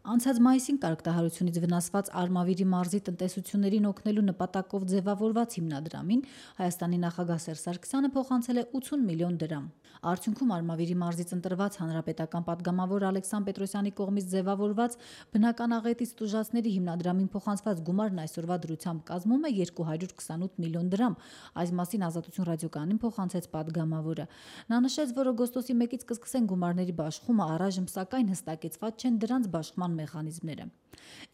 Անցած մայիսին կարգտահարությունից վնասված Արմավիրի մարզի տնտեսություններին օգնելու նպատակով ձևավորված հիմնադրամին Հայաստանի նախագահ Սերժ Սարգսյանը փոխանցել է 80 միլիոն դրամ։ Արդյունքում Արմավիրի մարզից ընտրված հանրապետական պատգամավոր Ալեքսան Պետրոսյանի կողմից ձևավորված բնական աղետից տուժածների հիմնադրամին փոխանցված գումարն այսօրվա դրությամբ կազմում է 228 միլիոն դրամ։ Այս մասին Ազատություն ռադիոկայանին փոխանցեց պատգամավորը։ Նա նշեց, որ օգոստոսի 1-ից կսկսեն գումարների բաշխումը, առայժմ սակայն հստակեցված չեն դրանց բաշխման մեխանիզմները։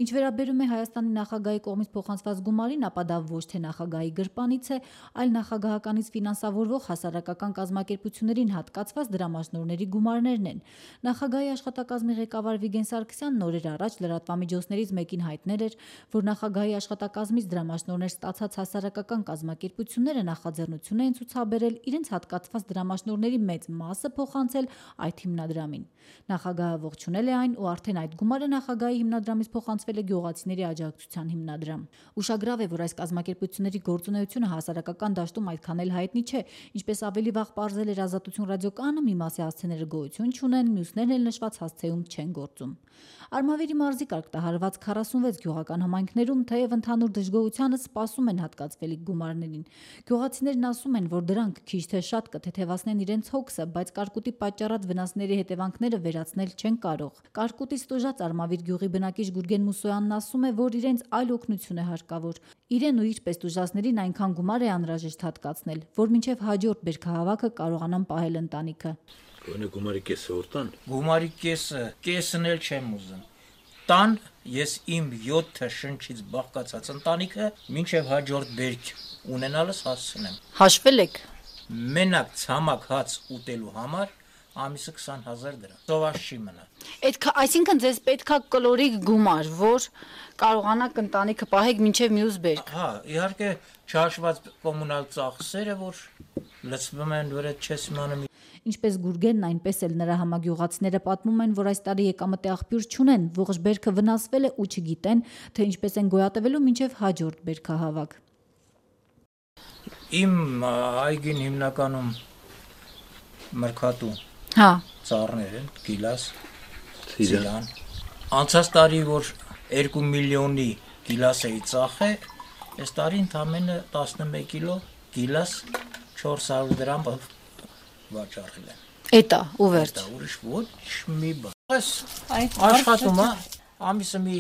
Ինչ վերաբերում է Հայաստանի նախագահի կողմից փոխանցված գումարին, ապա դա ոչ թե նախագահի գրպանից է, այլ նախագահականից ֆինանսավորվող հասարակական կազմակերպություններին հատկացված դրամաշնորհների գումարներն են։ Նախագահի աշխատակազմի ղեկավար Վիգեն Սարգսյանն օրեր առաջ լրատվամիջոցներից մեկին հայտնել էր, որ նախագահի աշխատակազմից դրամաշնորհներ ստացած հասարակական կազմակերպությունները նախաձեռնություն են ցուցաբերել իրենց հատկացված դրամաշնորհների մեծ մասը փոխանցել այդ հիմնադրամին։ Նախագահը ողջունել է այն ու արդեն այդ գումարը նախագահի հիմնադրամից փոխանցվել է Գյուղացիների աջակցության հիմնադրամ։ Ուշագրավ է, որ այս կազմակերպությունների գործունեությունը հասարակական դաշտում այդքան էլ հայտնի չէ, ինչպես ավելի վաղ պարզել էր Ազատություն ռադիոկայանը, մի մասի հասցեները գոյություն չունեն, մյուսներն էլ նշված հասցեում չեն գործում։ Արմավիրի մարզի կարգտահարված 46 գյուղական համայնքներում թեև ընդհանուր դժգոհությանը սպասում են հատկացվելիք գումարներին։ Գյուղացիներն ասում են, որ դրանք քիչ թե շատ կթեթևացնեն իրենց հոգսը, բայց կարկուտի պատճառած վնասների հետևանքները վերացնել չեն կարող։ Կարկուտից տուժած Արմավիր գյուղի բնակիչ Գուրգեն Մուսոյանն ասում է, որ իրենց այլ օգնություն է հարկավոր։ Իրեն ու իր պես տուժածներին այնքան գումար է անհրաժեշտ հատկացնել, որ մինչև հաջորդ բերքահավաքը կարողանան պահել ընտանիքը։ Գոնե գումարի կեսը որ տան։ Գումարի կեսն էլ չեմ ուզում։ Տան ես իմ 7 շնչից բաղկացած ընտանիքը մինչև հաջորդ բերք ունենալս հասցնեմ։ Հաշվել եք։ Մենակ ցամաք հաց ուտելու համար ամիսը 20,000 դրամ։ Սովաշ չի մնա։ Այսինքն ձեզ պետքա կլորիկ գումար, որ կարողանաք ընտանիքը պահեք մինչև մյուս բերք։ Հա, իհարկե չհաշված կոմունալ ծախսերը, որ լցվում են, որ այդ չես իմանում։ Ինչպես Գուրգենն, այնպես էլ նրա համագյուղացիները պատմում են, որ այս տարի եկամտի աղբյուր չունեն, ողջ բերքը վնասվել է ու չգիտեն, թե ինչպես են գոյատևելու մինչև հաջորդ բերքահավաք։ Իմ այգին հիմնականում մրգատու ծառներ են, գիլաս, ծիրան։ Անցած տարի, որ 2 միլիոնի գիլաս էի ծախել, այս տարի ընդամենը 11 կիլո գիլաս 400 դրամ վաճառել եմ։ Էտա, ու վերջ։ Ուրիշ ոչ մի բան։ Աշխատում է, ամիսը մի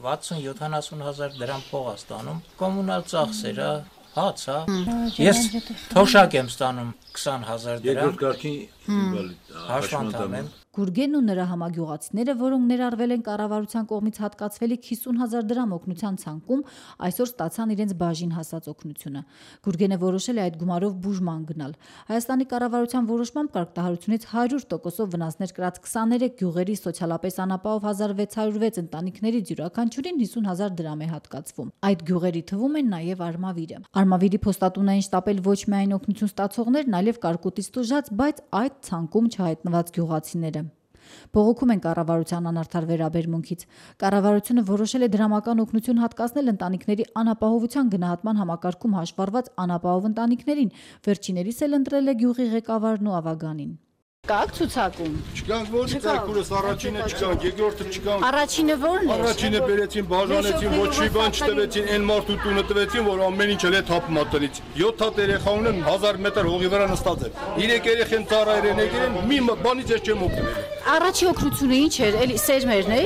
60-70,000 դրամ փող է ստանում, կոմունալ ծախսերը, հաց, ես թոշակ եմ ստանում 20,000 դրամ։ Երկրորդ կարգի հաշվանդամ եմ։ Գուրգենն ու նրա համագյուղացիները, որոնք ներառվել են կառավարության կողմից հատկացվելիք 50,000 դրամ օգնության ցանկում, այսօր ստացան իրենց բաժին հասած օգնությունը։ Գուրգենը որոշել է այդ գումարով բուժման գնալ։ Հայաստանի կառավարության որոշմամբ կարգտահարությունից 100%-ով վնասներ կրած 23 գյուղերի սոցիալապես անապահով 1606 ընտանիքներից յուրաքանչյուրին 50,000 դրամ է հատկացվում։ Այդ գյուղերի թվում են նաև Արմավիրը։ Արմավիրի փոստատուն էին շտապել ոչ միայն օգնություն ստացողներն, այլև կարկուտից տուժած, բայց այդ ցանկում չհայտնված գյուղացիները։ Բողոքում են կառավարության անարդար վերաբերմունքից։ Կառավարությունը որոշել է դրամական օգնություն հատկացնել ընտանիքների անապահովության գնահատման համակարգում հաշվառված անապահով ընտանիքներին։ Վերջիներիս էլ ընտրել է գյուղի ղեկավարն ու ավագանին։ Կաք ցուցակում։ Չկանք ո՞րի ցարկուրս առաջինը չկանք, երկրորդը չկանք։ Առաջինը ո՞րն է։ Առաջինը բերեցին, բաժանեցին, ոչ մի բան չտվեցին, այն մարդու տունը տվեցին, որ ամեն ինչ էլ է թափում ատնից։ 7 հատ երեխա ունեմ, 1000 մետր հողի վրա նստած եմ։ 3 երեխեն ծառայրեն եկել, մի բանից ես չեմ օգնել։ Առաջի օգնությունը ինչ էր, էլի սերմերն է։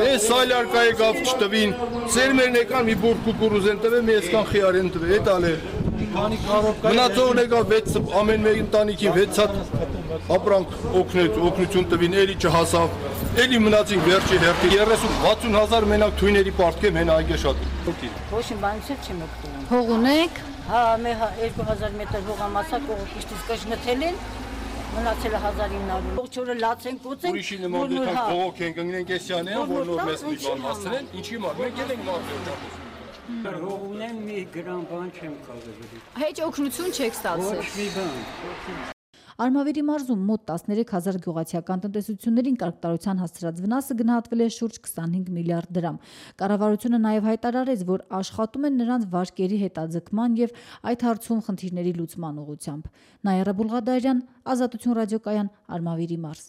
Այս սալյարկայի գավ չտվին, սերմերն եկան, մի բուր կուկուրուզ են տվել, մի այսքան խիար են տվել, էդ ալ է։ Մնացողն եկավ 6 ամեն մեկ ընտանիքին 6 հատ ապրանք օգնություն տվին, էլի չհասավ, էլի մնացին վերջի հերթի 30-60,000 մենակ թույների պարտքեմ հեն այգե շատ։ Ոչ մի բանից չեմ օգտվում։ Հող ունեք։ Հա, մեր 2000 մետր հողամասակ կողքից կշնթել են, մնացել է 1900։ Ողջ օրը լաց են կոծեն։ Ուրիշի նման դուք փողոք են կանգնեն կեսյան է, որ նոր մեզ մի բան հասցնեն, ինչի մար, մենք էլ ենք մարդու։ Հող ունեմ մի գրամ բան չեմ կարող։ Հեչ օգնություն չեք ստացել։ Ոչ մի բան։ Արմավիրի մարզում մոտ 13,000 գյուղացիական տնտեսություններին կարգտարության հասցրած վնասը գնահատվել է շուրջ 25 միլիարդ դրամ։ Կառավարությունը նաև հայտարարեց, որ աշխատում են նրանց վարկերի հետաձգման եւ այդ հարցում խնդիրների լուծման ուղղությամբ։ Նաիրա Բուլղադարյան, Ազատություն ռադիոկայան, Արմավիրի մարզ։